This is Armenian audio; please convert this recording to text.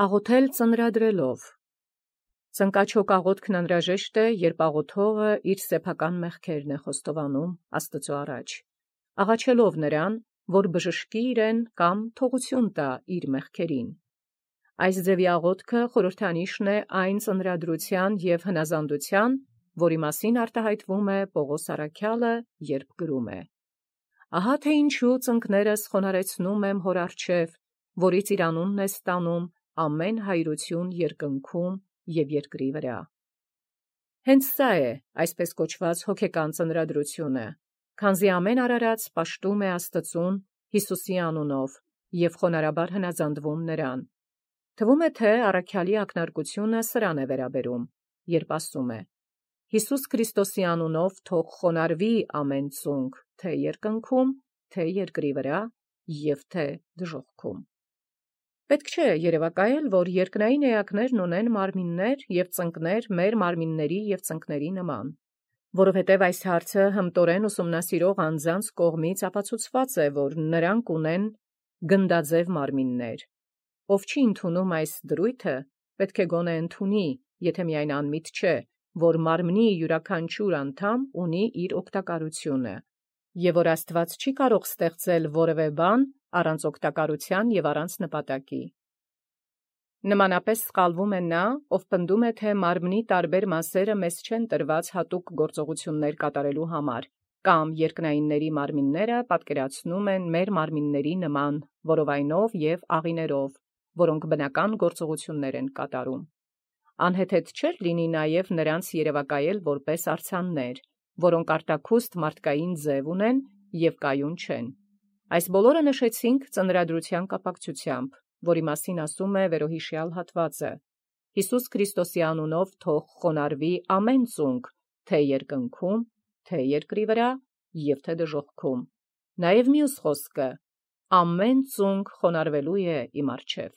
Աղոթել ծնրադրելով։ Ծնկաչոք աղոթքն անհրաժեշտ է, երբ աղոթողը իր սեփական մեղքերն է խոստովանում Աստծո առաջ, աղաչելով նրան, որ բժշկի իրեն կամ թողություն տա իր մեղքերին։ Այս ձևի աղոթքը խորհրդանիշն է այն ծնրադրության և հնազանդության, որի մասին արտահայտվում է Պողոս առաքյալը, երբ գրում է. «Ահա թե ինչու ծնկներս խոնարհեցնում եմ հոր առջև, որից իր անունն է ստանում ամեն հայրություն երկնքում և երկրի վրա»։ Հենց սա է այսպես կոչված հոգեկան ծնրադրությունը, քանզի ամեն արարած պաշտում է Աստծուն Հիսուսի անունով և խոնարհաբար հնազանդվում նրան։ Թվում է, թե առաքյալի ակնարկությունը սրան է վերաբերում, երբ ասում է. «Հիսուս Քրիստոսի անունով թող խոնարհվի ամեն ծունկ, թե երկնքում, թե երկրի վրա և թե դժոխքում»։ Պետք չէ երևակայել, որ երկնային էակներն ունեն մարմիններ և ծնկներ մեր մարմինների և ծնկների նման, որովհետև այս հարցը հմտորեն ուսումնասիրող անձանց կողմից ապացուցված է, որ նրանք ունեն գնդաձև մարմիններ։ Ով չի ընդունում այս դրույթը, պետք է գոնե ընդունի, եթե միայն անմիտ չէ, որ մարմնի յուրաքանչյուր անդամ ունի իր օգտակարությունը, և որ Աստված չի կարող ստեղծել որևէ բան առանց օգտակարության և առանց նպատակի։ Նմանապես սխալվում է նա, ով պնդում է, թե մարմնի տարբեր մասերը մեզ չեն տրված հատուկ գործողություններ կատարելու համար, կամ երկնայինների մարմինները պատկերացնում են մեր մարմինների նման որովայնով և աղիներով, որոնք բնական գործողություններ են կատարում։ Անհեթեթ չէր լինի նաև նրանց երևակայել որպես արձաններ, որոնք արտաքուստ մարդկային ձև ունեն և կայուն չեն։ Այս բոլորը նշեցինք ծնրադրության կապակցությամբ, որի մասին ասում է վերոհիշյալ հատվածը. «Հիսուս Քրիստոսի անունով թող խոնարհվի ամեն ծունկ, թե երկնքում, թե երկրի վրա և թե դժոխքում»։ Նաև մյուս խոսքը. «Ամեն ծունկ խոնարհվելու է իմ առջև»։